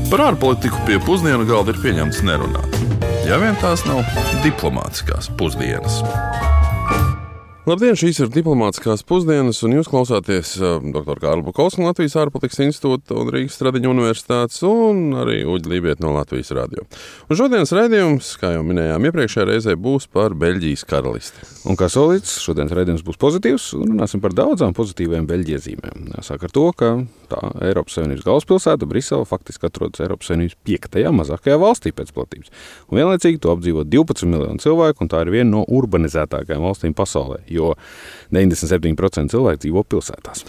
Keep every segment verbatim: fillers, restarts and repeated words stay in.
Par ārpolitiku pie pusdienu galda ir pieņemts nerunāt. Ja vien tās nav diplomātiskās pusdienas. Labdien, šīs ir diplomātiskās pusdienas, un jūs klausāties uh, doktora Kārļa Bukovska no Latvijas ārpolitikas institūta un Rīgas Stradiņa universitātes, un arī Uģa Lībieta no Latvijas radio. Un šodienas raidījums, kā jau minējām iepriekšējā reizē, būs par Beļģijas karalisti. Un kā solīts, šodienas raidījums būs pozitīvs, un runāsim par daudzām pozitīvām Beļģijas zīmēm. Sāk ar to, ka tā Eiropas Savienības galvaspilsēta Brisele faktiski atrodas Eiropas Savienības piektajā mazākajā valstī pēc platības. Un vienlaicīgi to apdzīvo divpadsmit miljonu cilvēku, un tā ir viena no urbanizētākajām valstīm pasaulē, jo deviņdesmit septiņi procenti cilvēku dzīvo pilsētās.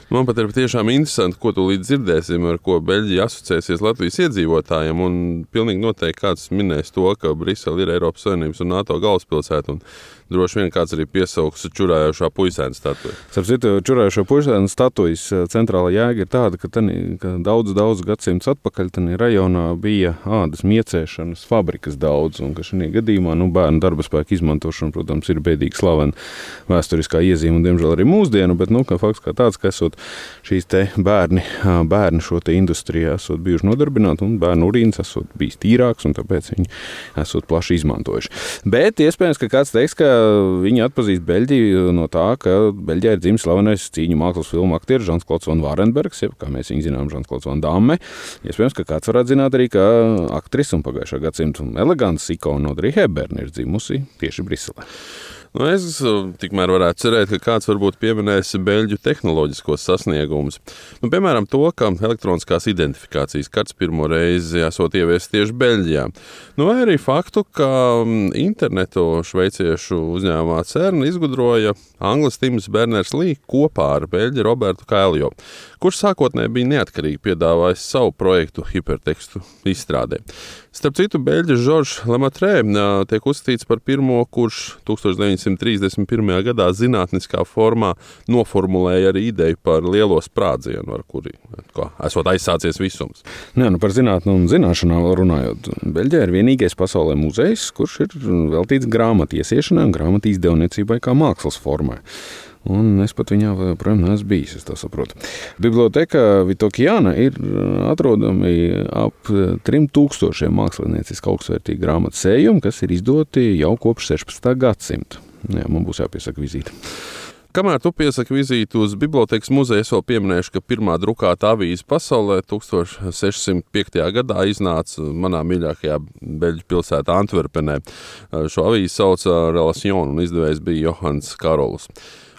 Man pat ir tiešām interesanti, ko tu līdz dzirdēsim, ar ko Beļģija asociēsies Latvijas iedzīvotājiem, un pilnīgi noteikti kāds minēs to, ka Brisele ir Eiropas Savienības un NATO galvaspilsēta, un droši vien kāds arī piesauks čurājošā puisēna statuju. Starp citu, čurājošā puisēna statujas centrāla jēga ir tāda, ka, tani, ka daudz, daudz gadsimtus atpakaļ tani rajonā bija ādas miecēšanas fabrikas daudz, un ka šajā gadījumā nu, bērnu darbaspēku izmantošana, protams, ir bēdīgi slavena vēsturiskā iezīme, un diemžēl arī mūsdienu, bet nu, ka fakts kā tāds, ka esot šīs te bērni, bērni šo te industrijā esot bijuši nodarbināti, un bērnu urīns esot bijis tīrāks, un tāpēc viņi esot plaši izmantojuši. Bet iespējams, ka kāds teiks, ka viņi atpazīst Beļģiju no tā, ka Beļģijā ir dzimis slavenais cīņu mākslas filmu aktieris Žans-Klods van Varenbergs, jeb, kā mēs viņu zinām, Žans-Klods van Damme. Iespējams, ka kāds varētu zināt arī, ka aktris un pagājušā gadsimta elegants ikona Audrey Hepburn ir dzimusi tieši Briselē. Nu, es tikmēr varētu cerēt, ka kāds varbūt pieminēs Beļģu tehnoloģiskos sasniegumus. Nu, piemēram, to, ka elektroniskās identifikācijas kartes pirmo reizi esot ieviests tieši Beļģijā. Nu, vai arī faktu, ka internetu šveiciešu uzņēmumā CERN izgudroja anglis Tims Berners-Lī kopā ar Beļģi Robertu Kailjo, kurš sākotnēji bija neatkarīgi piedāvājis savu projektu hipertekstu izstrādē. Starp citu, Beļģis Žoržs Lemaitre tiek uzskatīts par pirmo, kurš tūkstoš deviņsimt trīsdesmit pirmajā gadā zinātniskā formā noformulēja arī ideju par lielo sprādzienu, ar kuri kā, esot aizsācies visums. Nē, nu par zinātnu un zināšanām runājot. Beļģijā ir vienīgais pasaulē muzejs, kurš ir veltīts grāmatu iesiešanai un grāmatu izdevniecībai kā mākslas formai. Un es pat viņā joprojām neesmu bijis, es tā saprotu. Biblioteka Vitokiana ir atrodami ap trim tūkstošiem mākslinieciski augstvērtīgi grāmatu sējumi, kas ir izdoti jau kopš sešpadsmitā gadsimta. Jā, man būs jāpiesaka vizīte. Kamēr tu piesaki vizīti uz bibliotekas muzeju, es vēl pieminēšu, ka pirmā drukāta avīze pasaulē tūkstoš sešsimt piektajā gadā iznāca manā mīļākajā Beļģu pilsētā Antverpenē. Šo avīzi sauca Relation un izdevējs bija Johans Karolus.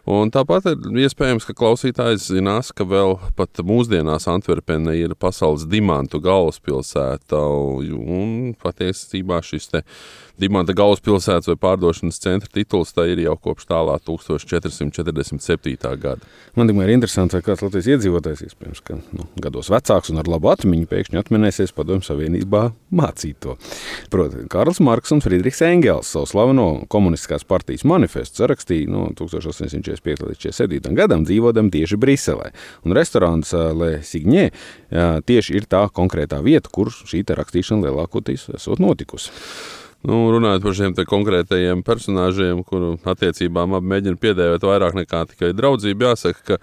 Un tāpat ir iespējams, ka klausītājs zinās, ka vēl pat mūsdienās Antverpene ir pasaules dimantu galvaspilsēta, un patiesībā šis te dimanta galvaspilsētas vai pārdošanas centra tituls tā ir jau kopš tālā tūkstoš četri simt četrdesmit septītā gada. Man tikmēr ir interesanti, vai kāds Latvijas iedzīvotājs, iespējams, ka nu, gados vecāks un ar labu atmiņu pēkšņi atminēsies Padomju Savienībā mācīt to. Proti, Karls Marks un Friedrichs Engels savu slaveno komunistiskās partijas manifestu sarakstīja no tūkstoš astoņsimt četrdesmit piektajā līdz četrdesmit septītajam gadam dzīvodam tieši Briselē. Un restorāns Le Signé tieši ir tā konkrētā vieta, kur šī te rakstīšana lielākoties esot notikusi. Nu, runājot par šiem te konkrētajiem personāžiem, kuru attiecībām abi mēģina piedēvēt vairāk nekā tikai draudzību, jāsaka, ka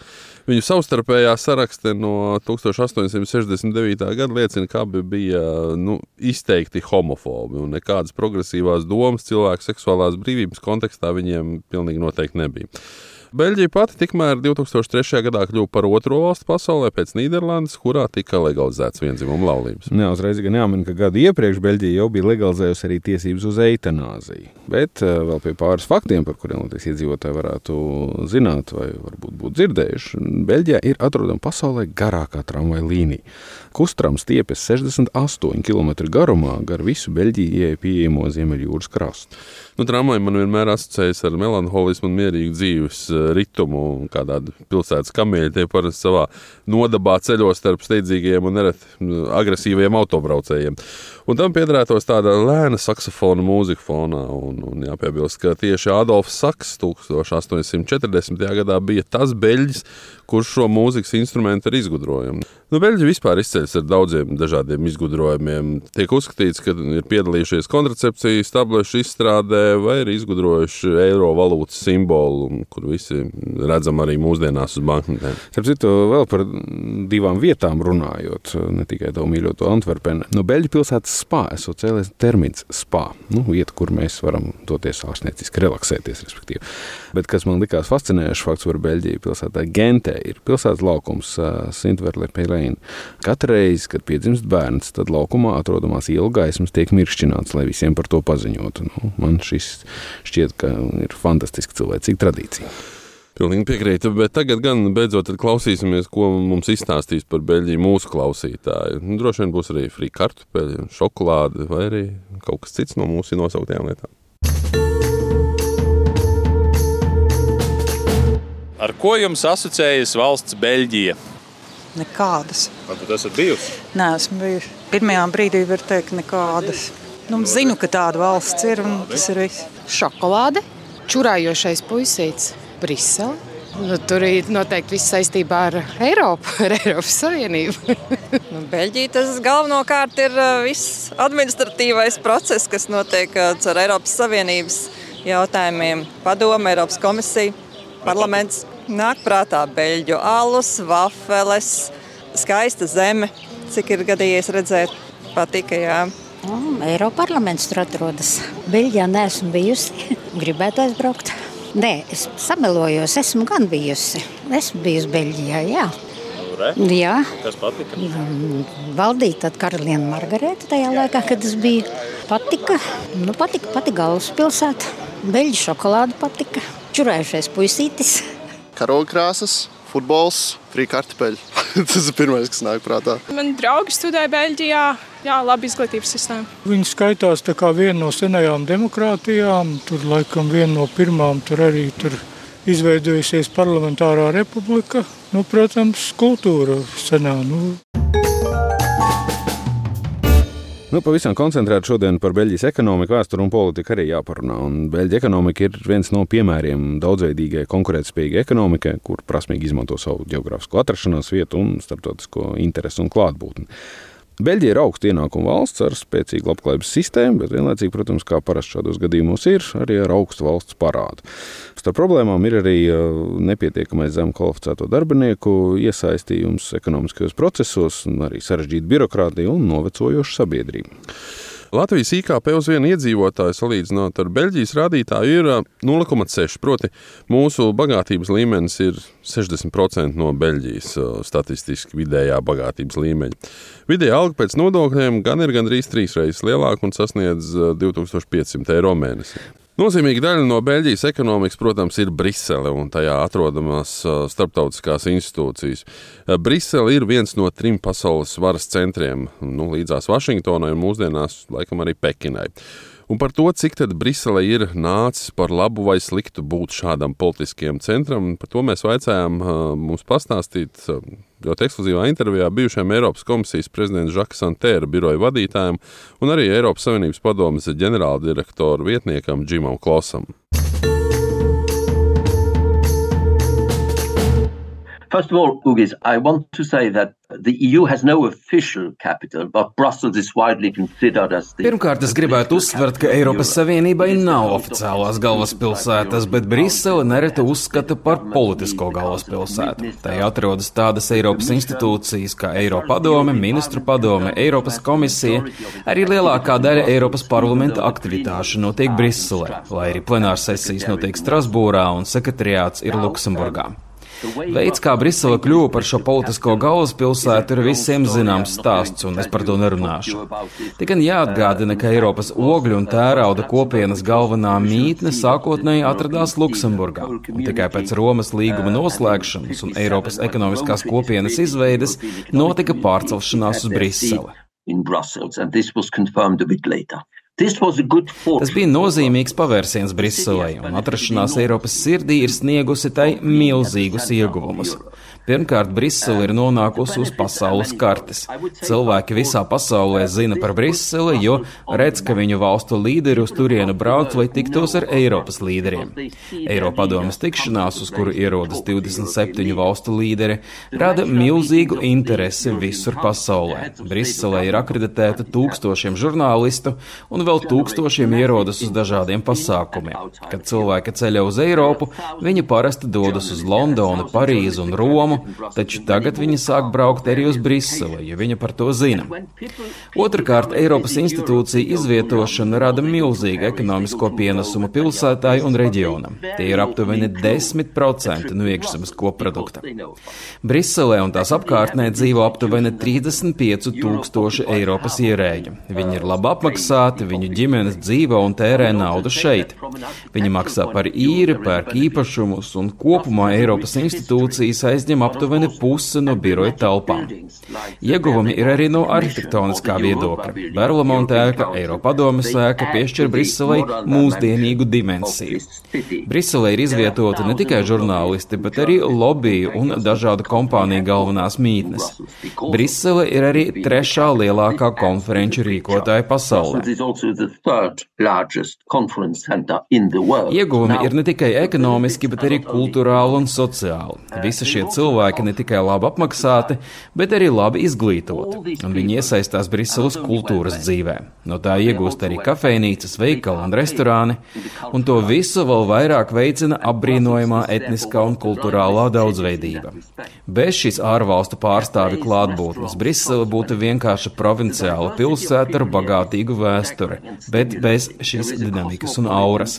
viņu savstarpējā sarakste no tūkstoš astoņsimt sešdesmit devītā gada liecina, ka abi bija nu, izteikti homofobi, un nekādas progresīvās domas cilvēku seksuālās brīvības kontekstā viņiem pilnīgi noteikti nebija. Beļģija pati tikmēr divtūkstoš trešajā gadā kļuva par otro valstu pasaulē pēc Nīderlandes, kurā tika legalizēts viendzimuma laulības. Jā, uzreiz gan jāmin, ka gadu iepriekš Beļģija jau bija legalizējusi arī tiesības uz eitanāziju. Bet vēl pie pāris faktiem, par kuriem Latvijas iedzīvotāji varētu zināt vai varbūt būt dzirdējuši, Beļģijā ir atrodama pasaulē garākā tramvaja līnija. Kustrams stiepjas sešdesmit astoņi kilometri garumā gar visu Beļģijai pieejamo Ziemeļjūras krastu. Nu, tramvaji man vienmēr asociējas ar melanholismu un mierīgu dzīves ritumu, un kā tāda pilsētas kamieļi tie parasti savā nodabā ceļos starp steidzīgajiem un nereti agresīvajiem autobraucējiem. Un tam piederētos tāda lēna saksofona mūzika fonā, un, un jāpiebilst, ka tieši Adolfs Saks tūkstoš astoņsimt četrdesmitajā gadā bija tas beļģis, kurš šo mūzikas instrumentu ir izgudrojami. Nu, Beļģi vispār izceļas ar daudziem dažādiem izgudrojumiem. Tiek uzskatīts, ka ir piedalījušies kontracepcijas tablešu izstrādē vai ir izgudrojuši eiro valūtas simbolu, kur visi redzam arī mūsdienās uz banknotēm. Starp citu, vēl par divām vietām runājot, ne tikai tavu mīļoto Antverpeni. No Beļģu pilsētas spā esot cēlies termins spā. Nu, vieta, kur mēs varam doties ārstnieciski relaksēties, respektīvi. Bet kas man likās fascinējošs fakts par Beļģiju pilsētā Gentē, ir pilsētas laukums Sint-Verle-Pelein. Katru reizi, kad piedzimst bērns, tad laukumā atrodamās ielu gaismas tiek miršķināts, lai visiem par to paziņotu. Nu, man šis šķiet, ka ir fantastiski cilvēcīga tradīcija. Pilnīgi piekrītu, bet tagad gan beidzot klausīsimies, ko mums izstāstīs par Beļģiju mūsu klausītāji. Nu, droši vien būs arī frī kartupeļi, šokolāde vai arī kaut kas cits no mūsu nosauktajām lietām. Ar ko jums asociējas valsts Beļģija? Nekādas. Vai tu esat bijusi? Nē, esmu bijusi. Pirmajā brīdī var teikt nekādas. Nu, zinu, ka tāda valsts ir un tas ir viss. Šokolāde, čurājošais puisīts, Brisele. Nu, tur ir noteikti viss saistībā ar Eiropu, ar Eiropas Savienību. Nu, Beļģija tas galvenokārt ir viss administratīvais process, kas notiek ar Eiropas Savienības jautājumiem. Padome, Eiropas komisija, parlaments. Nāk prātā beļģu alus, vafeles, skaista zeme, cik ir gadījies redzēt, patika, jā. Oh, Eiroparlaments tur atrodas. Beļģijā neesmu bijusi, gribētu aizbraukt. Nē, es samelojos, esmu gan bijusi. Esmu bijusi Beļģijā, jā. Re? Jā. Kas patika? Valdīja tad karaliene Margareta tajā laikā, kad es biju. Patika, nu patika, patika galvaspilsēta. Beļģu šokolāde patika. Čurējušais puisītis. Karogkrāsas, futbols, frī kartupeļi. Tas ir pirmais, kas nāk prātā. Man draugi studē Beļģijā, jā, labi izglītības sistēma. Viņi skaitās tā kā viena no senajām demokrātijām, tur laikam viena no pirmām, tur arī tur izveidojusies parlamentārā republika. Nu, protams, kultūra senā, nu. Nu, pavisam koncentrēt šodien par Beļģijas ekonomiku, vēsturu un politiku arī jāparunā. Un Beļģija ekonomika ir viens no piemēriem daudzveidīgai konkurētspējīgai ekonomikai, kur prasmīgi izmanto savu ģeogrāfisko atrašanās vietu un starptautisko interesu un klātbūtni. Beļģija ir augsta ienākuma valsts ar spēcīgu labklājības sistēmu, bet vienlaicīgi, protams, kā parasti šādos gadījumos ir, arī ar augstu valsts parādu. Starp problēmām ir arī nepietiekamais zem kvalificēto darbinieku iesaistījums ekonomiskajos procesos, arī sarežģīta birokrātija un novecojoša sabiedrība. Latvijas I K P uz vienu iedzīvotāju salīdzinot ar Beļģijas rādītāju ir nulle komats seši, proti mūsu bagātības līmenis ir sešdesmit procenti no Beļģijas statistiski vidējā bagātības līmeņa. Vidējā alga pēc nodokļiem gan ir gandrīz trīs reizes lielāka un sasniedz divi tūkstoši piecsimt eiro mēnesī. Nozīmīga daļa no Beļģijas ekonomikas, protams, ir Brisele un tajā atrodamās starptautiskās institūcijas. Brisele ir viens no trim pasaules varas centriem, nu, līdzās Vašingtonai un mūsdienās laikam arī Pekinai. Un par to, cik tad Brisele ir nācis par labu vai sliktu būt šādam politiskiem centram, par to mēs vaicājām mums pastāstīt ļoti ekskluzīvā intervijā bijušajam Eiropas komisijas prezidents Žaka Santēra biroja vadītājam un arī Eiropas Savienības padomes ģenerāldirektoru vietniekam Džimam Klosam. First of all, Ugis, I want to say that the E U has no official capital, but Brussels is widely considered as the... Pirmkārt, es gribētu uzsvert, ka Eiropas Savienībai nav oficiālās galvaspilsētas, bet Brisele nereti uzskata par politisko galvaspilsētu. Tai atrodas tādas Eiropas institūcijas kā Eiropadome, Ministru padome, Eiropas komisija, arī lielākā daļa Eiropas parlamenta aktivitāšu notiek Briselē, lai arī plenārsesijas notiek Strasbūrā un sekretariāts ir Luksemburgā. Veids, kā Brisele kļuva par šo politisko galvaspilsētu, ir visiem zināms stāsts, un es par to nerunāšu. Tikai jāatgādina, ka Eiropas ogļu un tērauda kopienas galvenā mītne sākotnēji atradās Luksemburgā, un tikai pēc Romas līguma noslēgšanas un Eiropas ekonomiskās kopienas izveides notika pārcelšanās uz Briseli. Tas bija nozīmīgs pavērsiens Briselei, un atrašanās Eiropas sirdī ir sniegusi tai milzīgus ieguvumus. Pirmkārt, Brisele ir nonākusi uz pasaules kartes. Cilvēki visā pasaulē zina par Briseli, jo redz, ka viņu valstu līderi uz turienu brauc, lai tiktos ar Eiropas līderiem. Eiropadomes tikšanās, uz kuru ierodas divdesmit septiņu valstu līderi, rada milzīgu interesi visur pasaulē. Briselē ir akreditēta tūkstošiem žurnālistu un vēl tūkstošiem ierodas uz dažādiem pasākumiem. Kad cilvēki ceļo uz Eiropu, viņi parasti dodas uz Londonu, Parīzu un Romu, taču tagad viņi sāk braukt arī uz Briseli, jo viņi par to zina. Otrakārt, Eiropas institūcija izvietošana rada milzīgu ekonomisko pienesumu pilsētai un reģionam. Tie ir aptuveni desmit procenti no iekšzemes koprodukta. Briselē un tās apkārtnē dzīvo aptuveni trīsdesmit pieci tūkstoši Eiropas ierēģu. Viņi ir labi apmaksāti, viņu ģimenes dzīvo un tērē naudu šeit. Viņi maksā par īri, pērk īpašumus un kopumā Eiropas institūcijas aizņem aptuveni pusi no biroja telpām. Ieguvumi ir arī no arhitektoniskā viedokļa. Berlamonte ēka, Eiropadomes ēka piešķir Briselei mūsdienīgu dimensiju. Briselē ir izvietota ne tikai žurnālisti, bet arī lobiju un dažādu kompāniju galvenās mītnes. Brisele ir arī trešā lielākā konferenču rīkotāja pasaulē. Ieguvumi ir ne tikai ekonomiski, bet arī kulturāli un sociāli. Visi šie cilvēki ne tikai labi apmaksāti, bet arī labi izglītoti, un viņi iesaistās Briseles kultūras dzīvē. No tā iegūst arī kafejnīcas, veikali un restorāni, un to visu vēl vairāk veicina apbrīnojamā etniskā un kulturālā daudzveidība. Bez šīs ārvalstu pārstāvi klātbūtnes Brisele būtu vienkārši provinciāla pilsēta ar bagātīgu vēsturi, bet bez šīs dinamikas un auras.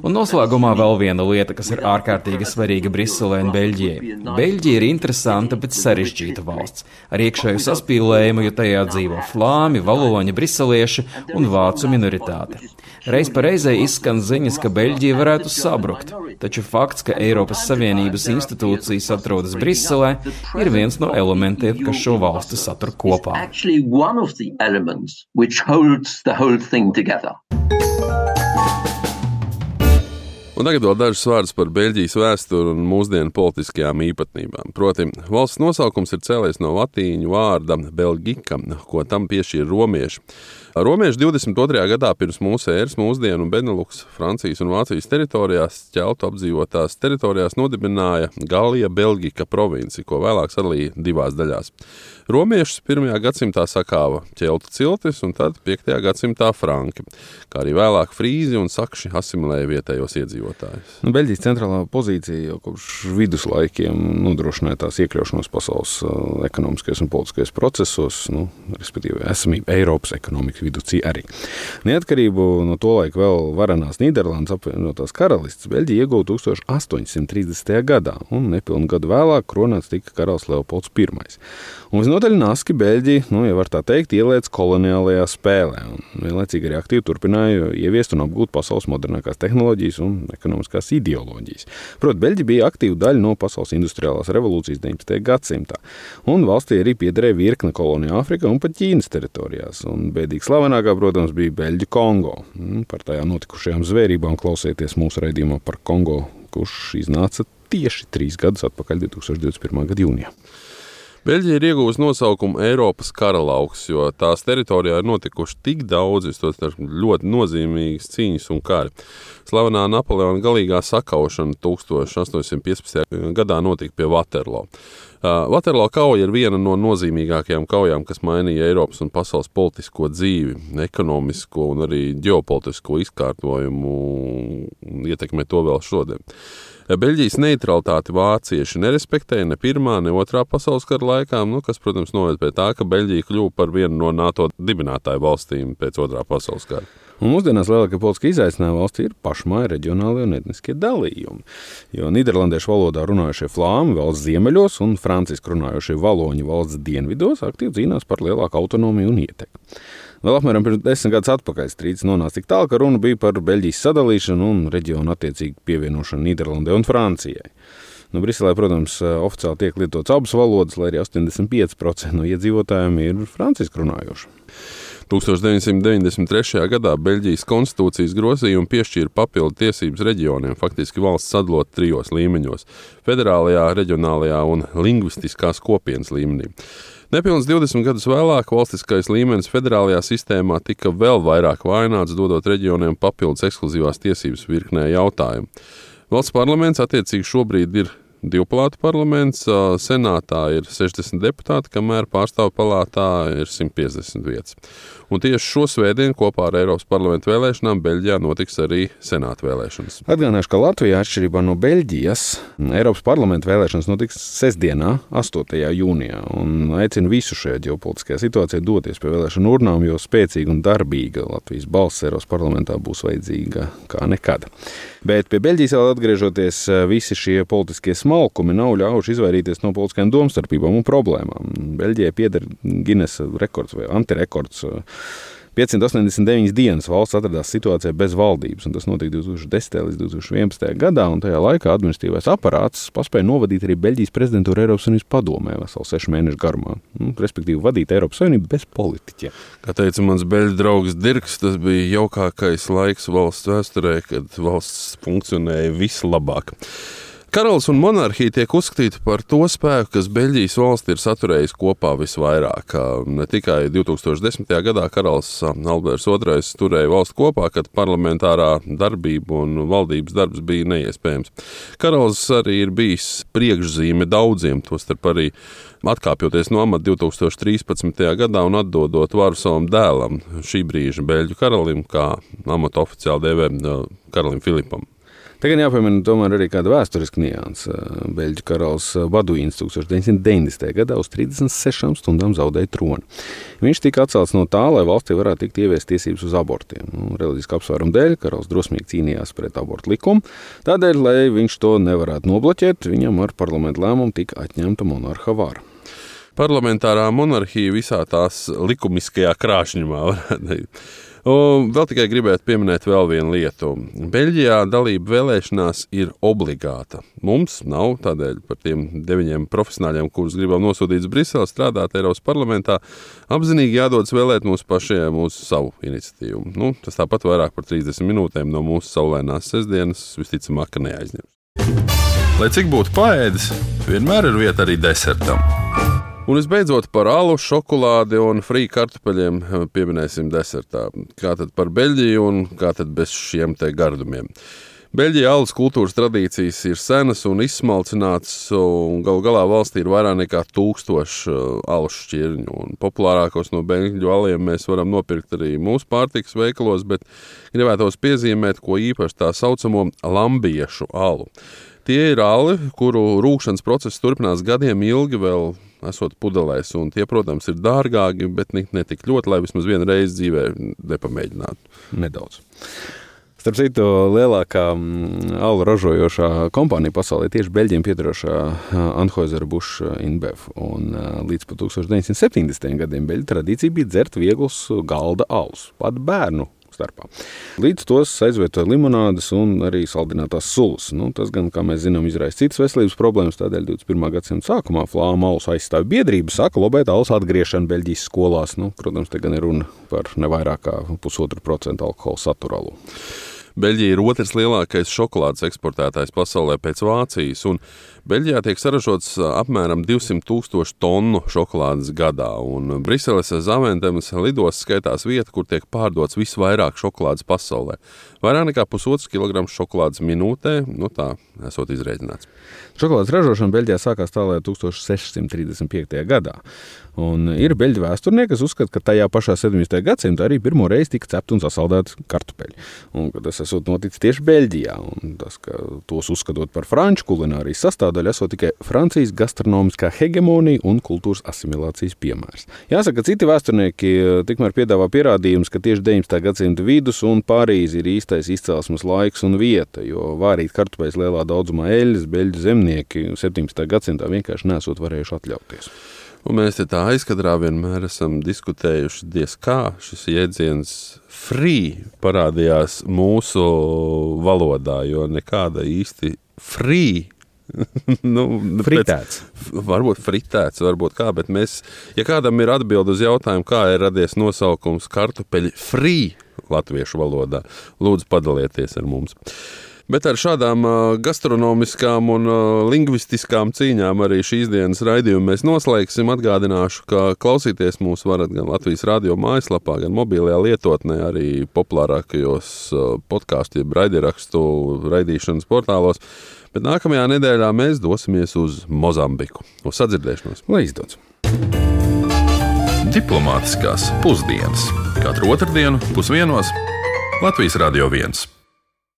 Un noslēgumā vēl viena lieta, kas ir ārkārtīgi svarīga Briselē un Beļģijai. Beļģija ir interesanta, bet sarežģīta valsts, ar iekšēju saspīlējumu, jo tajā dzīvo flāmi, valoņi, briselieši un vācu minoritāte. Reiz pa reizei izskan ziņas, ka Beļģija varētu sabrukt, taču fakts, ka Eiropas Savienības institūcijas atrodas Briselē, ir viens no elementiem, kas šo valsti satur kopā. Un tagad vēl dažas vārdas par Beļģijas vēsturi un mūsdienu politiskajām īpatnībām. Proti, valsts nosaukums ir cēlies no latīņu vārda Belgika, ko tam piešķīra romieši. Romieši divdesmit otrajā gadā pirms mūsu ēras mūsdienu Beneluks, Francijas un Vācijas teritorijās, ķeltu apdzīvotās teritorijās nodibināja Galija Belgika provinci, ko vēlāk sadalīja divās daļās. Romiešus pirmajā gadsimtā sakāva ķeltu ciltis un tad piektajā gadsimtā franki, kā arī vēlāk frīzi un sakši asimilēja vietējos iedzīvotājus. Nu, Beļģijas centrālā pozīcija jau kopš viduslaikiem nodrošināja tās iekļaušanos pasaules uh, ekonomiskajos un politiskajos procesos, nu, respektīvi esamību Eiropas ekonomikas viducī arī. Neatkarību no to laika vēl varenās Nīderlandes apvienotās karalists Beļģija ieguva tūkstoš astoņsimt trīsdesmitajā gadā, un nepilnu gadu vēlāk kronēts tika karalis Leopolds Pirmais. Un visnotaļ naski Beļģija, nu, ja var tā teikt, ielēc koloniālajā spēlē, un vienlaicīgi arī aktīvi turpināja ieviest un apgūt pasaules modernākās tehnoloģijas un ekonomiskās ideoloģijas. Proti, Beļģija bija aktīva daļa no pasaules industriālās revolūcijas deviņpadsmitajā gadsimtā, un valstī arī piederēja virkne koloniju Āfrikā un pat Ķīnas teritorijās, un bēdīgi slavenākā, protams, bija Beļģu Kongo. Par tajā notikušajām zvērībām klausieties mūsu raidījumā par Kongo, kurš iznāca tieši trīs gadus atpakaļ divtūkstoš divdesmit pirmā gada jūnijā. Beļģija ir iegūst nosaukumu Eiropas karalauks, jo tās teritorijā ir notikuši tik daudz, ļoti nozīmīgas cīņas un kari. Slavenā Napoleona galīgā sakaušana tūkstoš astoņsimt piecpadsmitajā gadā notika pie Waterloo. Uh, Waterloo kauja ir viena no nozīmīgākajām kaujām, kas mainīja Eiropas un pasaules politisko dzīvi, ekonomisko un arī ģeopolitisko izkārtojumu un ietekmē to vēl šodien. Beļģijas neutralitāti vācieši nerespektēja ne pirmā, ne otrā pasaules kara laikā, nu, kas, protams, noved pie tā, ka Beļģija kļuva par vienu no NATO dibinātāju valstīm pēc otrā pasaules kara. Un mūsdienās lielākie politiskie izaicinājumi valstī ir pašmāja reģionālie un etniskie dalījumi, jo nīderlandiešu valodā runājušie flāmi valsts ziemeļos un franciski runājušie valoņi valsts dienvidos aktīvi cīnās par lielāku autonomiju un ietekmi. Vēl apmēram pirms desmit gadus atpakaļ strīds nonāca tik tālu, ka runa bija par Beļģijas sadalīšanu un reģionu attiecīgi pievienošanu Nīderlandē un Francijai. Nu, Briselē, protams, oficiāli tiek lietots abas valodas, lai arī astoņdesmit pieci procenti no iedzīvotājiem ir franciski runājoši. deviņdesmit deviņdesmit trešajā gadā Beļģijas konstitūcijas grozījumi piešķīra papildu tiesības reģioniem, faktiski valsts sadalot trijos līmeņos – federālajā, reģionālajā un lingvistiskās kopienas līmenī. Nepilns divdesmit gadus vēlāk valstiskais līmenis federālajā sistēmā tika vēl vairāk vājināts, dodot reģioniem papildus ekskluzīvās tiesības virknē jautājumu. Valsts parlaments attiecīgi šobrīd ir divpalātu parlaments, senātā ir sešdesmit deputāti, kamēr pārstāvju palātā ir simt piecdesmit vietas. Un tieši šo svētdienu kopā ar Eiropas parlamentu vēlēšanām Beļģijā notiks arī senāta vēlēšanas. Atgādināšu, ka Latvijā, atšķirībā no Beļģijas, Eiropas parlamentu vēlēšanas notiks sestdienā, astotajā jūnijā. Un aicinu visu šajā ģeopolitiskajā situācijā doties pie vēlēšanu urnām, jo spēcīga un darbīga Latvijas balss Eiropas parlamentā būs vajadzīga kā nekad. Bet pie Beļģijas vēl atgriežoties, visi šie politiskie smalkumi nav ļaujuši izvairīties no politiskajām domstarpībām un problēmām. Beļģijai pieder Guinnessa rekords vai antirekords. piecsimt astoņdesmit deviņas dienas valsts atradās situācijā bez valdības, un tas notika divi tūkstoši desmitajā līdz divi tūkstoši vienpadsmitajā gadā, un tajā laikā administratīvais aparāts paspēja novadīt arī Beļģijas prezidentūru Eiropas Savienības padomē veselu sešu mēnešu garumā, nu, respektīvi vadīt Eiropas Savienību bez politiķiem. Kā teica mans beļģu draugs Dirks, tas bija jaukākais laiks valsts vēsturē, kad valsts funkcionēja vislabāk. Karalis un monarhija tiek uzskatīti par to spēku, kas Beļģijas valsti ir saturējis kopā visvairāk. Ne tikai divi tūkstoši desmitajā gadā karalis Alberts otrais turēja valsti kopā, kad parlamentārā darbība un valdības darbs bija neiespējams. Karalis arī ir bijis priekšzīme daudziem, tostarp arī atkāpjoties no amata divi tūkstoši trīspadsmitajā gadā un atdodot varu savam dēlam, šī brīža beļģu karalim, kā amatu oficiāli dēvē karalim Filipam. Tagad jāpiemina tomēr arī kāda vēsturiska nianse. Beļģu karalis Baduīns tūkstoš deviņsimt deviņdesmitajā gadā uz trīsdesmit sešām stundām zaudēja troni. Viņš tika atcelts no tā, lai valstī varētu tikt ieviest tiesības uz abortiem. Reliģiska apsvēruma dēļ karalis drosmīgi cīnījās pret abortu likumu. Tādēļ, lai viņš to nevarētu nobloķēt, viņam ar parlamentu lēmumu tika atņemta monarha vara. Parlamentārā monarhija visā tās likumiskajā krāšņumā varētu. Un vēl tikai gribētu pieminēt vēl vienu lietu. Beļģijā dalība vēlēšanās ir obligāta. Mums nav, tādēļ par tiem deviņiem profesionāļiem, kurus gribam nosūtīt uz Briseli strādāt Eiropas parlamentā, apzinīgi jādodas vēlēt mūsu pašiem mūsu savu iniciatīvu. Nu, tas tāpat vairāk par trīsdesmit minūtēm no mūsu saulainās sestdienas visticamāk, ka neaizņems. Lai cik būtu paēdis, vienmēr ir vieta arī desertam. Un visbeidzot par alu, šokolādi un frī kartupeļiem pieminēsim desertā. Kā tad par Beļģiju un kā tad bez šiem te gardumiem? Beļģijā alus kultūras tradīcijas ir senas un izsmalcināts, un galu galā valstī ir vairāk nekā tūkstoši alus šķirņu. Un populārākos no beļģu aliem mēs varam nopirkt arī mūsu pārtikas veikalos, bet gribētos piezīmēt, ko īpaši tā saucamo lambiešu alu. Tie ir ali, kuru rūkšanas process turpinās gadiem ilgi vēl esot pudelēs, un tie, protams, ir dārgāki, bet ne tik ļoti, lai vismaz vienu reizi dzīvē nepamēģinātu. Nedaudz. Starp citu, lielākā alu ražojošā kompānija pasaulē tieši Beļģiem piedarošā Anheuser-Busch InBev. Un līdz pat tūkstoš deviņsimt septiņdesmitajiem gadiem beļģu tradīcija bija dzert vieglus galda alus, pat bērnu starpā. Līdz tos aizvietoja limonādes un arī saldinātās sulas. Nu, tas gan, kā mēs zinām, izraisa citas veselības problēmas, tādēļ divdesmit pirmā gadsimta sākumā flāma alus aizstāja biedrība, saka lobēt alus atgriešanu Beļģijas skolās. Nu, protams, te gan ir runa par nevairāk kā pusotru procentu alkohola satura alu. Beļģija ir otrs lielākais šokolādes eksportētājs pasaulē pēc Vācijas, un Beļģijā tiek saražots apmēram divsimt tūkstoši tonu šokolādes gadā, un Briseles Zaventemas lidos skaitās vieta, kur tiek pārdots visvairāk šokolādes pasaulē. Vairāk nekā pusotrs kilograms šokolādes minūtē, nu tā, esot izrēķināts. Šokolādes ražošana Beļģijā sākās tālāk tūkstoš sešsimt trīsdesmit piektajā gadā. Un ir beļģu vēsturnieki, kas uzskata, ka tajā pašā sedemdesmitajā gadsimtā arī pirmo reizi tika cepti un sasaldēti kartupeļi. Un tas esot noticis tieši Beļģijā. Un tas, ka tos uzskatot par franču kulinārijas sastāvdaļu, esot tikai Francijas gastronomiskā hegemonija un kultūras asimilācijas piemērs. Jāsaka, ka citi vēsturnieki tikmēr piedāvā pierādījumus, ka tieši deviņdesmitā gadsimta vidus un Parīze ir īstais izcelsmes laiks un vieta, jo vārīt kartupeļus lielā daudzumā eļļas beļģu zemnieki septiņdesmitā gadsimtā vienkārši nesot varējuši atļauties. Un mēs te tā aizkadrā vienmēr esam diskutējuši, diez kā šis jēdziens free parādījās mūsu valodā, jo nekāda īsti free nu, fritēts. Pēc, varbūt fritēts, varbūt kā, bet mēs, ja kādam ir atbildi uz jautājumu, kā ir radies nosaukums kartupeļi free latviešu valodā, lūdzu padalieties ar mums. Bet ar šādām uh, gastronomiskām un uh, lingvistiskām cīņām arī šīs dienas raidījumu mēs noslēgsim. Atgādināšu, ka klausīties mūs varat gan Latvijas radio mājaslapā, gan mobilajā lietotnē, arī populārākajos uh, podcastu, jeb raidierakstu raidīšanas portālos. Bet nākamajā nedēļā mēs dosimies uz Mozambiku. Uz sadzirdēšanos. Lai izdodas! Diplomātiskās pusdienas. Katru otrdienu pusdienos Latvijas Radio viens.